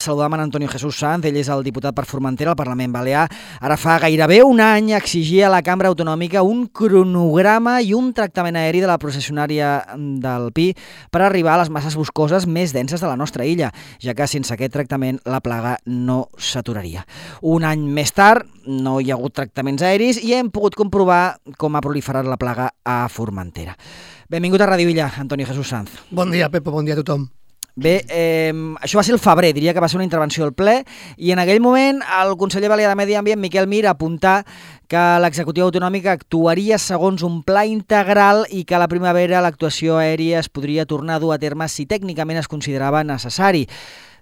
Saludam en Antonio Jesús Sanz, ell és el diputat per Formentera al Parlament Balear. Ara fa gairebé un any exigia a la Cambra Autonòmica un cronograma i un tractament aeri de la processionària del Pi per arribar a les masses boscoses més denses de la nostra illa, ja que sense aquest tractament la plaga no s'aturaria. Un any més tard no hi ha hagut tractaments aeris i hem pogut comprovar com ha proliferat la plaga a Formentera. Benvingut a Ràdio Illa, Antonio Jesús Sanz. Bon dia, Pepo, bon dia a tothom. Bé, això va ser el febrer, diria que va ser una intervenció al ple, i en aquell moment el conseller balear de Medi Ambient, Miquel Mir, apuntà que l'executiva autonòmica actuaria segons un pla integral i que a la primavera l'actuació aèria es podria tornar a dur a terme si tècnicament es considerava necessari.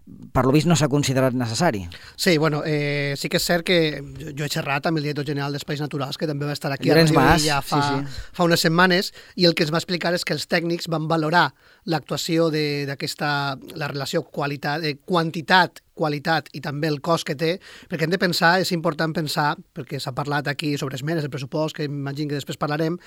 Per lo vist no s'ha considerat necessari. Sí, bueno, sí que és cert que jo he xerrat amb el director general d'Espais Naturals, que també va estar aquí Llorenç a Mas, ja fa unes setmanes, i el que ens va explicar és que els tècnics van valorar l'actuació d'aquesta, la relació quantitat, qualitat i també el cost que té, perquè hem de pensar, és important pensar, perquè s'ha parlat aquí sobre esmenes del pressupost, que imagino que després parlarem,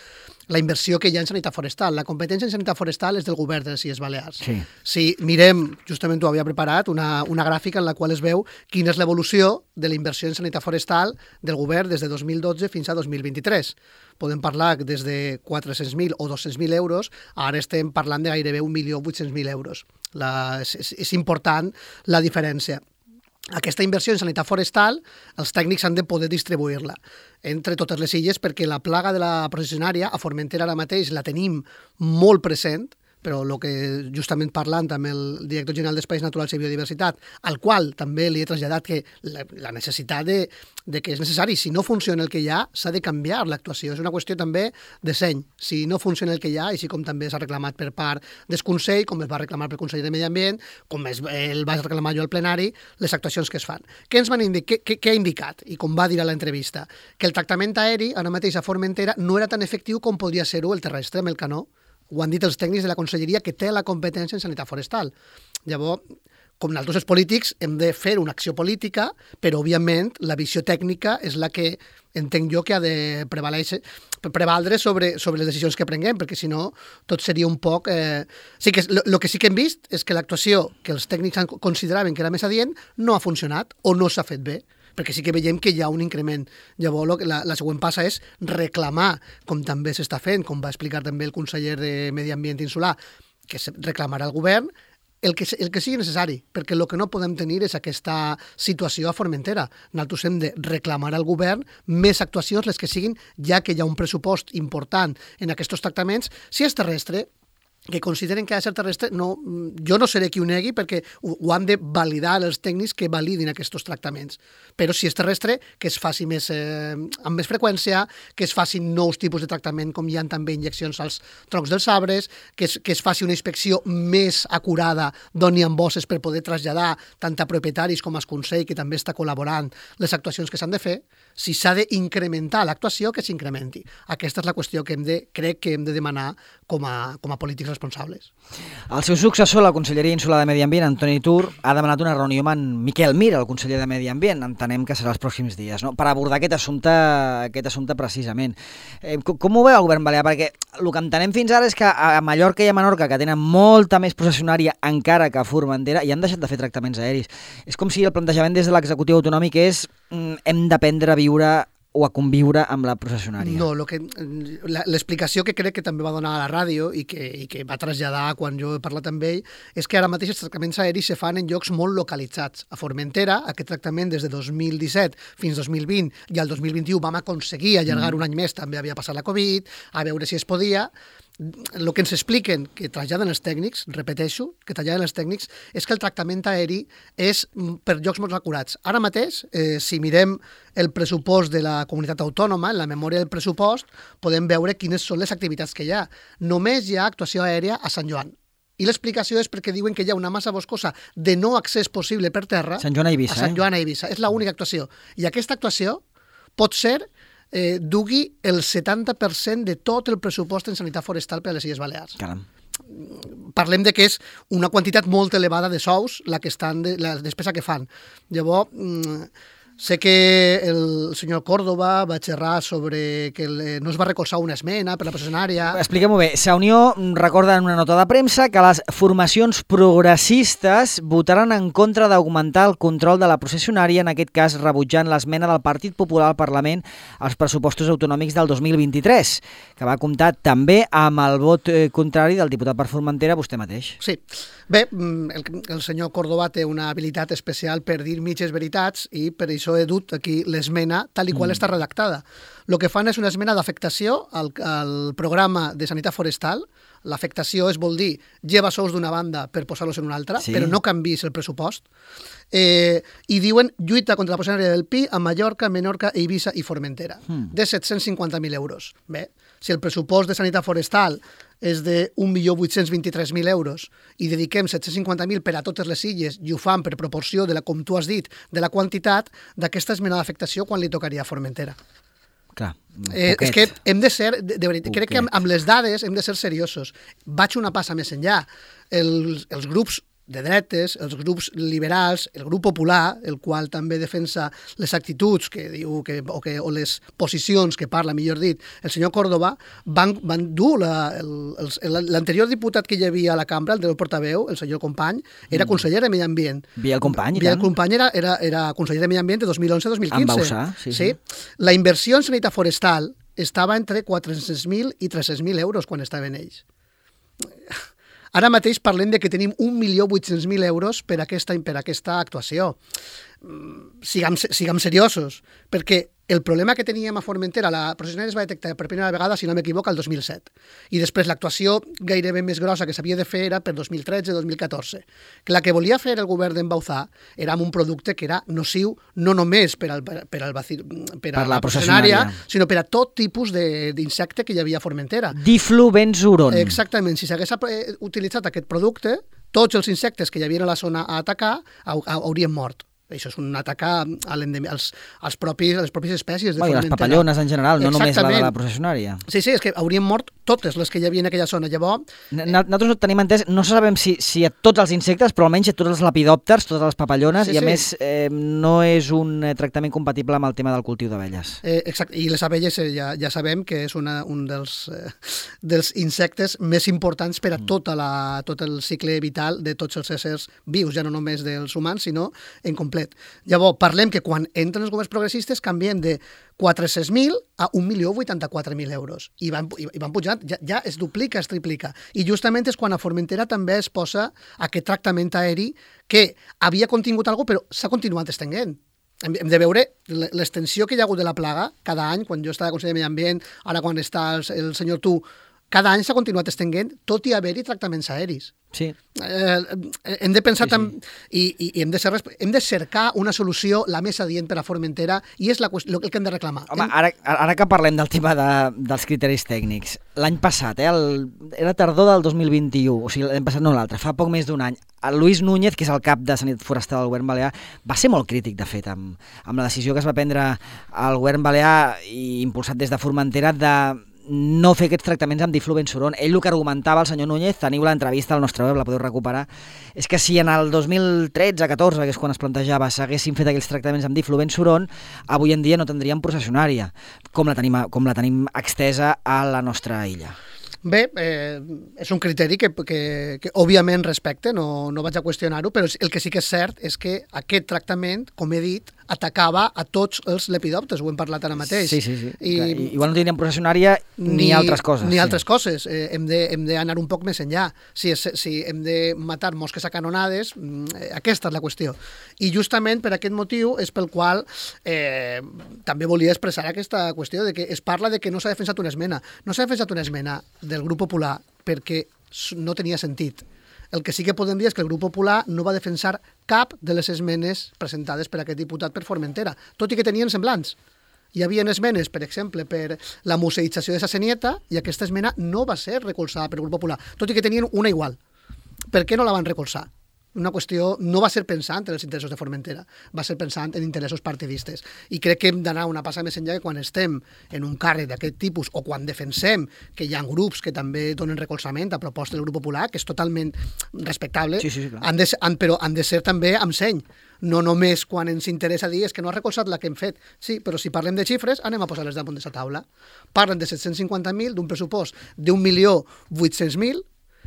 la inversió que hi ha en sanitat forestal. La competència en sanitat forestal és del govern de les Illes Balears. Sí. Si mirem, justament ho havia preparat, una gràfica en la qual es veu quina és l'evolució de la inversió en sanitat forestal del govern des de 2012 fins a 2023. Podem parlar des de 400.000 o 200.000 euros, ara estem parlant de gairebé 1.800.000 euros. És important la diferència. Aquesta inversió en sanitat forestal, els tècnics han de poder distribuir-la entre totes les illes, perquè la plaga de la processionària a Formentera ara mateix la tenim molt present, però el que justament parlant amb el director general d'Espais Naturals i Biodiversitat, al qual també li he traslladat que la necessitat de que és necessari, si no funciona el que hi ha, s'ha de canviar l'actuació. És una qüestió també de seny. Si no funciona el que hi ha, així com també s'ha reclamat per part del Consell, com es va reclamar pel Conseller de Medi Ambient, com el vaig reclamar jo al plenari, les actuacions que es fan. Què ens van indicar? Què ha indicat? I com va dir a l'entrevista? Que el tractament aeri, ara mateix a Formentera, no era tan efectiu com podria ser-ho el terrestre amb el canó. Ho han dit els tècnics de la Conselleria, que té la competència en sanitat forestal. Llavors, com nosaltres els polítics, hem de fer una acció política, però, òbviament, la visió tècnica és la que entenc jo que ha de prevaldre sobre les decisions que prenguem, perquè, si no, tot seria un poc... Sí que el que sí que hem vist és que l'actuació que els tècnics consideraven que era més adient no ha funcionat o no s'ha fet bé, perquè sí que veiem que hi ha un increment. Llavors, la següent passa és reclamar, com també s'està fent, com va explicar també el conseller de Medi Ambient Insular, que reclamarà al govern el que sigui necessari, perquè el que no podem tenir és aquesta situació a Formentera. Nosaltres hem de reclamar al govern més actuacions, les que siguin, ja que hi ha un pressupost important en aquests tractaments. Si és terrestre, que consideren que ha de ser terrestre, jo no seré qui ho negui, perquè ho han de validar els tècnics que validin aquests tractaments. Però si és terrestre, que es faci amb més freqüència, que es facin nous tipus de tractament, com hi ha també injeccions als troncs dels arbres, que es faci una inspecció més acurada d'on hi ha bosses per poder traslladar tant a propietaris com al Consell, que també està col·laborant, les actuacions que s'han de fer. Si s'ha d'incrementar l'actuació, que s'incrementi. Aquesta és la qüestió que crec que hem de demanar com a polítics responsables. El seu successor, la Conselleria Insular de Medi Ambient, Antoni Tur, ha demanat una reunió amb en Miquel Mir, el conseller de Medi Ambient. Entenem que serà els pròxims dies, no? Per abordar aquest assumpte precisament. Com ho veu el govern balear? Perquè el que entenem fins ara és que a Mallorca i a Menorca, que tenen molta més processionària encara que a Formentera, i han deixat de fer tractaments aeris. És com si el plantejament des de l'executiu autonòmic és hem d'aprendre a viure o a conviure amb la processionària. No, l'explicació que crec que també va donar a la ràdio i que va traslladar quan jo he parlat amb ell és que ara mateix els tractaments aeris se fan en llocs molt localitzats. A Formentera, aquest tractament des de 2017 fins 2020 i al 2021 vam aconseguir allargar un any més, també havia passat la Covid, a veure si es podia. El que ens expliquen, que traslladen els tècnics, repeteixo, que traslladen els tècnics, és que el tractament aeri és per llocs molt acurats. Ara mateix, si mirem el pressupost de la comunitat autònoma, en la memòria del pressupost, podem veure quines són les activitats que hi ha. Només hi ha actuació aèria a Sant Joan. I l'explicació és perquè diuen que hi ha una massa boscosa de no accés possible per terra Sant Joan a Eivissa. A Sant Joan a Eivissa. És l'única actuació. I aquesta actuació pot ser dugui el 70% de tot el pressupost en sanitat forestal per a les Illes Balears. Caram. Parlem de que és una quantitat molt elevada de sous la despesa que fan. Llavors, Sé que el senyor Córdoba va xerrar sobre que no es va recolzar una esmena per la processionària. Expliquem-ho bé. Sa Unió recorda en una nota de premsa que les formacions progressistes votaran en contra d'augmentar el control de la processionària, en aquest cas rebutjant l'esmena del Partit Popular al Parlament als pressupostos autonòmics del 2023, que va comptar també amb el vot contrari del diputat per Formentera, vostè mateix. Sí. Bé, el senyor Córdoba té una habilitat especial per dir mitges veritats i per això he dut aquí l'esmena tal i qual està redactada. El que fan és una esmena d'afectació al programa de sanitat forestal. L'afectació vol dir lleva sous d'una banda per posar-los en una altra, però no canvis el pressupost. I diuen lluita contra la processionària del Pi a Mallorca, Menorca, Eivissa i Formentera, de 750.000 euros. Bé, si el pressupost de sanitat forestal és de 1.823.000 euros i dediquem 750.000 per a totes les illes i ho fan per proporció de la, com tu has dit, de la quantitat d'aquesta esmena d'afectació quan li tocaria a Formentera. Clar, és que hem de ser, de veritat, crec que amb les dades hem de ser seriosos. Vaig una passa més enllà. Els grups de dretes, els grups liberals, el grup popular, el qual també defensa les actituds que diu o les posicions que parla, millor dit, el senyor Córdoba, van dur l'anterior diputat que hi havia a la cambra, el del portaveu, el senyor Company, era conseller de Medi Ambient. Biel Company, Biel Company era conseller de Medi Ambient de 2011 a 2015. En Bausà, sí. La inversió en sanitat forestal estava entre 400.000 i 300.000 euros quan estaven ells. Ara mateix parlem de que tenim 1.800.000 euros per aquesta actuació. Siguem seriosos, perquè el problema que teníem a Formentera, la processionària es va detectar per primera vegada, si no m'equivoco, el 2007. I després l'actuació gairebé més grossa que s'havia de fer era per 2013-2014. Que la que volia fer el govern d'en Bauzá era amb un producte que era nociu no només per la processionària, sinó per a tot tipus d'insecte que hi havia a Formentera. Diflubenzuron. Exactament. Si s'hagués utilitzat aquest producte, tots els insectes que hi havia a la zona a atacar haurien mort. Això és un atac a les pròpies espècies de Formentera. Les papallones en general, no només la de la processionària. Sí, és que haurien mort totes les que hi havia en aquella zona. Llavors... Nosaltres no tenim entès, no sabem si a tots els insectes, però almenys a tots els lepidòpters, totes les papallones, i a més no és un tractament compatible amb el tema del cultiu d'abelles. Exacte, i les abelles ja sabem que és un dels insectes més importants per a tot el cicle vital de tots els éssers vius, ja no només dels humans, sinó en complet. Llavors, parlem que quan entren els governs progressistes canviem de 400.000 a 1.084.000 euros. I van pujant, ja es duplica, es triplica. I justament és quan a Formentera també es posa aquest tractament aeri que havia contingut alguna cosa, però s'ha continuat estenent. Hem de veure l'extensió que hi ha hagut de la plaga cada any, quan jo estava a Consell de Medi Ambient, ara quan està el senyor Tu, cada any s'ha continuat estenent, tot i haver-hi tractaments aeris. Sí. Hem de pensar i hem de cercar una solució la més adient per a Formentera i és el que hem de reclamar. Home, ara que parlem del tema dels criteris tècnics, l'any passat, era tardor del 2021, o sigui, l'any passat no l'altre, fa poc més d'un any, el Luis Núñez, que és el cap de Sanitat Forestal del govern balear, va ser molt crític, de fet, amb la decisió que es va prendre al govern balear i impulsat des de Formentera de no fer aquests tractaments amb diflubenzuron. Ell el que argumentava, el senyor Núñez, teniu l'entrevista al nostre web, la podeu recuperar, és que si en el 2013-14, que és quan es plantejava, s'haguessin fet aquells tractaments amb diflubenzuron, avui en dia no tindríem processionària, com la tenim extesa a la nostra illa. Bé, és un criteri que òbviament respecte, no vaig a qüestionar-ho, però el que sí que és cert és que aquest tractament, com he dit, atacava a tots els lepidòpters, ho hem parlat ara mateix. Sí. Igual no tindríem processionària ni altres coses. Ni altres coses. Hem d'anar un poc més enllà. Si hem de matar mosques a canonades, aquesta és la qüestió. I justament per aquest motiu és pel qual també volia expressar aquesta qüestió de que es parla de que no s'ha defensat una esmena. No s'ha defensat una esmena del grup popular perquè no tenia sentit. El que sí que podem dir és que el grup popular no va defensar cap de les esmenes presentades per aquest diputat per Formentera, tot i que tenien semblants. Hi havia esmenes, per exemple, per la museïtzació de Sa Senieta i aquesta esmena no va ser recolzada pel grup popular, tot i que tenien una igual. Per què no la van recolzar? Una qüestió no va ser pensant en els interessos de Formentera, va ser pensant en interessos partidistes. I crec que hem d'anar una passa més enllà que quan estem en un càrrec d'aquest tipus o quan defensem que hi ha grups que també donen recolzament a propostes del Grup Popular, que és totalment respectable, Sí, clar. però han de ser també amb seny. No només quan ens interessa dir és que no ha recolzat la que hem fet. Sí, però si parlem de xifres, anem a posar-les damunt de la taula. Parlen de 750.000, d'un pressupost d'1.800.000,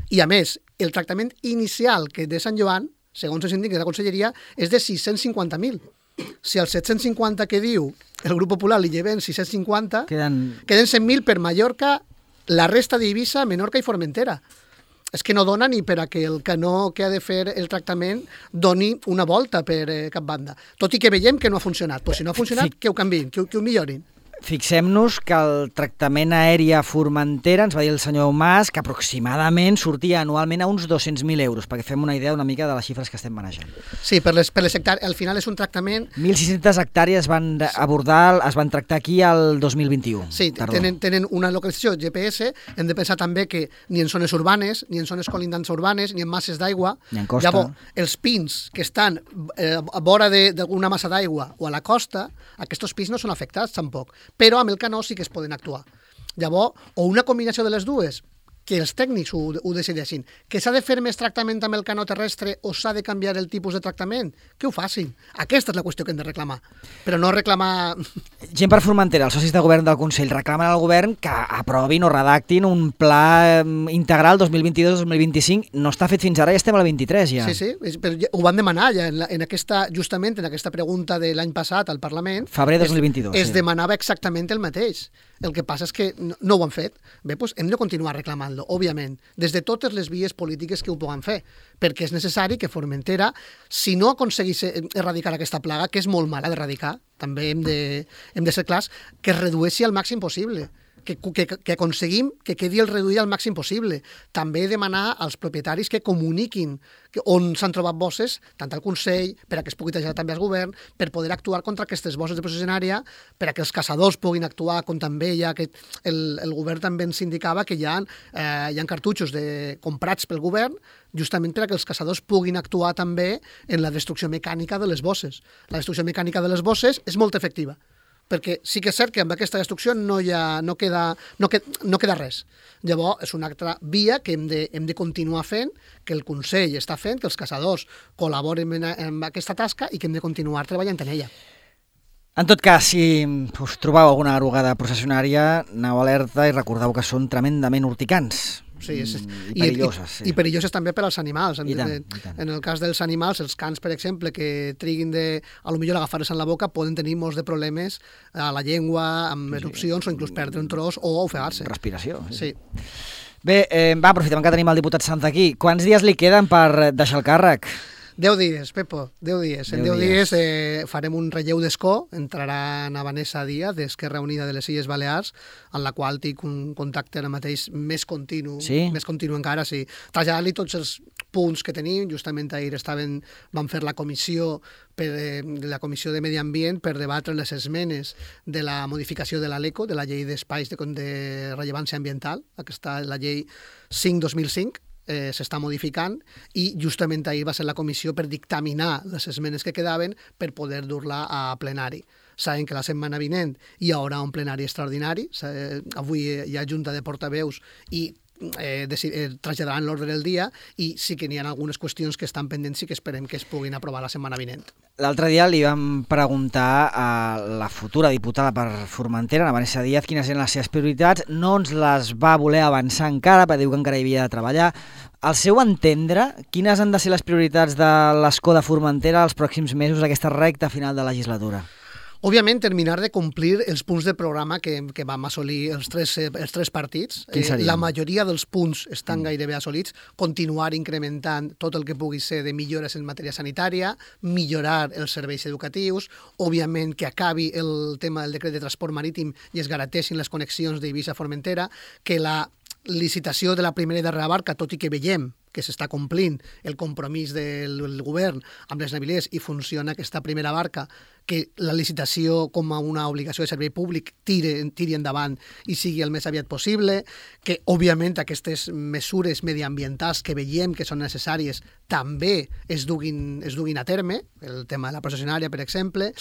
i a més, el tractament inicial que de Sant Joan, segons els indica de la Conselleria, és de 650.000. Si als 750 que diu el Grup Popular li lleven 650, queden 100.000 per Mallorca, la resta d'Eivissa, Menorca i Formentera. És que no dona ni per a que el canó que ha de fer el tractament doni una volta per cap banda. Tot i que veiem que no ha funcionat. Però si no ha funcionat, que ho canviïn, que ho millorin. Fixem-nos que el tractament aeri a Formentera, ens va dir el senyor Mas, que aproximadament sortia anualment a uns 200.000 euros, perquè fem una idea una mica de les xifres que estem manejant. Sí, per les hectàrees, al final és un tractament... 1.600 hectàrees van abordar, es van tractar aquí el 2021. Sí, tenen una localització GPS, hem de pensar també que ni en zones urbanes, ni en zones colindants urbanes, ni en masses d'aigua, ni en costa. Llavors, els pins que estan a vora d'alguna massa d'aigua o a la costa, aquests pins no són afectats tampoc, però amb el canó sí que es poden actuar. Llavors, o una combinació de les dues, que els tècnics ho decideixin, que s'ha de fer més tractament amb el canó terrestre o s'ha de canviar el tipus de tractament, que ho facin. Aquesta és la qüestió que hem de reclamar, però no reclamar... Gent per Formentera, els socis de govern del Consell reclamen al govern que aprovin o redactin un pla integral 2022-2025. No està fet fins ara, ja estem a la 23 ja. Sí, però ho van demanar ja justament en aquesta pregunta de l'any passat al Parlament. Febrer 2022. Es demanava exactament el mateix. El que passa és que no ho han fet. Bé, doncs hem de continuar reclamant-lo, òbviament, des de totes les vies polítiques que ho puguen fer, perquè és necessari que Formentera, si no aconseguís erradicar aquesta plaga, que és molt mala d'erradicar, també hem de ser clars, que es redueixi al màxim possible, que aconseguim que quedi el reduït al màxim possible. També demanar als propietaris que comuniquin on s'han trobat bosses, tant al Consell, per a que es pugui traslladar també al govern, per poder actuar contra aquestes bosses de processionària, per a que els caçadors puguin actuar, com també ja que el govern també ens indicava que hi ha cartutxos comprats pel govern, justament per a que els caçadors puguin actuar també en la destrucció mecànica de les bosses. La destrucció mecànica de les bosses és molt efectiva, perquè sí que és cert que amb aquesta destrucció no queda res. Llavors, és una altra via que hem de continuar fent, que el Consell està fent, que els caçadors col·laboren en aquesta tasca i que hem de continuar treballant en ella. En tot cas, si us trobeu alguna arugada processionària, aneu alerta i recordeu que són tremendament urticants. Sí, i perilloses. Sí. I perilloses també per als animals. I tant. En el cas dels animals, els cans, per exemple, que triguin a lo millor agafar-se en la boca, poden tenir molts de problemes a la llengua, amb erupcions, o inclús perdre un tros o ofegar-se. Respiració. Sí. Bé, aprofitem que tenim el diputat Sant aquí. Quants dies li queden per deixar el càrrec? 10 dies, Pepo, 10 dies. En 10 dies farem un relleu d'escó, entrarà na Vanessa Díaz, d'Esquerra Unida de les Illes Balears, en la qual tinc un contacte ara mateix més continu, més continu encara, sí. Traslladar-li tots els punts que tenim, justament ahir vam fer la comissió de Medi Ambient per debatre les esmenes de la modificació de la LECO, de la llei d'espais de rellevància ambiental, aquesta la llei 5/2005, s'està modificant i justament ahir va ser la comissió per dictaminar les esmenes que quedaven per poder dur-la a plenari. Saben que la setmana vinent hi haurà un plenari extraordinari, avui hi ha junta de portaveus i traslladaran l'ordre del dia i sí que n'hi ha algunes qüestions que estan pendents i que esperem que es puguin aprovar la setmana vinent. L'altre dia li vam preguntar a la futura diputada per Formentera, la Vanessa Díaz, quines eren les seves prioritats. No ens les va voler avançar encara, perquè diu que encara hi havia de treballar. Al seu entendre, quines han de ser les prioritats de l'escó de Formentera els pròxims mesos, aquesta recta final de legislatura? Òbviament, terminar de complir els punts de programa que vam assolir els tres partits. La majoria dels punts estan gairebé assolits. Continuar incrementant tot el que pugui ser de millores en matèria sanitària, millorar els serveis educatius, òbviament que acabi el tema del decret de transport marítim i es garanteixin les connexions d'Eivissa a Formentera, que licitació de la primera i darrera barca, tot i que veiem que s'està complint el compromís del govern amb les navilers i funciona aquesta primera barca, que la licitació com a una obligació de servei públic tiri endavant i sigui el més aviat possible, que òbviament aquestes mesures mediambientals que veiem que són necessàries també es duguin a terme, el tema de la processionària, per exemple,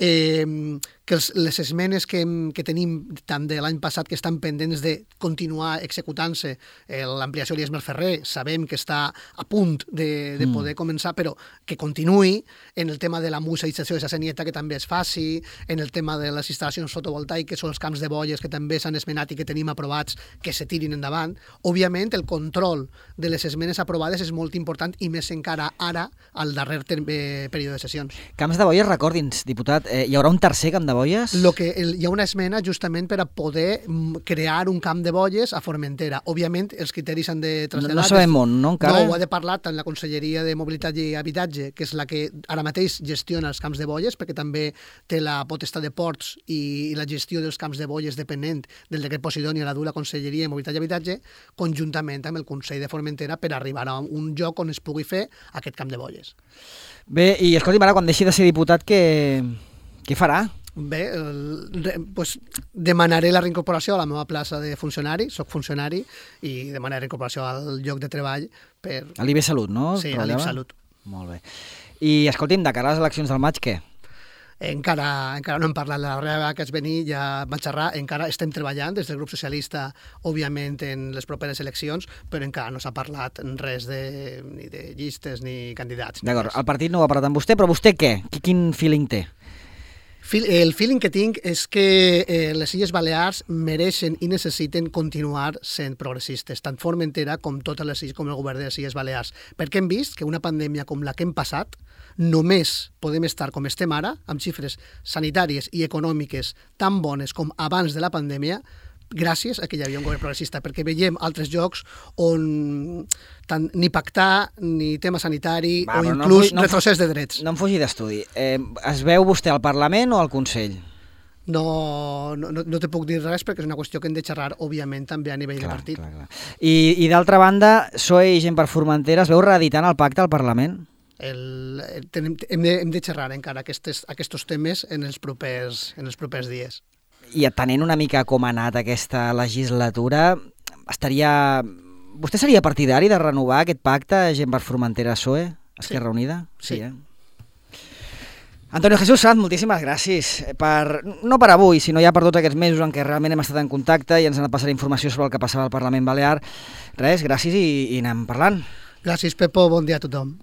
que les esmenes que tenim tant de l'any passat que estan pendents de continuar executant-se, l'ampliació de l'Iesmer Ferrer, sabem que està a punt de poder començar, però que continuï, en el tema de la museïtzació de la Senieta, que també es faci, en el tema de les instal·lacions fotovoltaiques o els camps de bolles, que també s'han esmenat i que tenim aprovats, que se tirin endavant. Òbviament, el control de les esmenes aprovades és molt important i més encara ara, al darrer període de sessions. Camps de bolles, recordi'ns, diputat, hi haurà un tercer camp de bolles? Hi ha una esmena justament per a poder crear un camp de bolles a Formentera. Òbviament, els criteris han de traslladar... No sabem on, no, encara? No, ho ha de parlar tant la Conselleria de Mobilitat i Habitatge, que és la que ara mateix gestiona els camps de bolles, perquè també té la potestat de ports i la gestió dels camps de bolles depenent del decret Posidoni a la dur la Conselleria de Mobilitat i Habitatge, conjuntament amb el Consell de Formentera per arribar a un lloc on es pugui fer aquest camp de bolles. Bé, i escolti'm, ara, quan deixi de ser diputat, què farà? Bé, doncs demanaré la reincorporació a la meva plaça de funcionari, soc funcionari, i demanaré reincorporació al lloc de treball per... A l'IB Salut, no? Sí, a l'IB Salut. Molt bé. I escolti'm, de cara a les eleccions del maig, què? Encara no hem parlat de la darrera vegada que es venia, ja vaig xerrar, encara estem treballant des del grup socialista, òbviament, en les properes eleccions, però encara no s'ha parlat res ni de llistes ni candidats. D'acord, el partit no ho ha parlat amb vostè, però vostè què? Quin feeling té? El feeling que tinc és que les Illes Balears mereixen i necessiten continuar sent progressistes, tant Formentera com totes les illes, com el govern de les Illes Balears, perquè hem vist que una pandèmia com la que hem passat només podem estar com estem ara, amb xifres sanitàries i econòmiques tan bones com abans de la pandèmia, gràcies a que hi havia un govern progressista, perquè veiem altres llocs on tant ni pactar, ni tema sanitari, o inclús retrocés de drets. No em fugi d'estudi. Es veu vostè al Parlament o al Consell? No te puc dir res perquè és una qüestió que hem de xerrar, òbviament, també a nivell de partit. Clar. I d'altra banda, PSOE i Gent per Formentera, es veu reeditant el pacte al Parlament? Hem de xerrar encara aquests temes en els propers dies. I atenent una mica com ha anat aquesta legislatura, vostè seria partidari de renovar aquest pacte Gent per Formentera-PSOE? Esquerra Unida? Sí. Antonio Jesús Sanz, moltíssimes gràcies. No per avui, sinó ja per tots aquests mesos en què realment hem estat en contacte i ens han passat informació sobre el que passava al Parlament Balear. Res, gràcies i anem parlant. Gràcies, Pepo. Bon dia a tothom.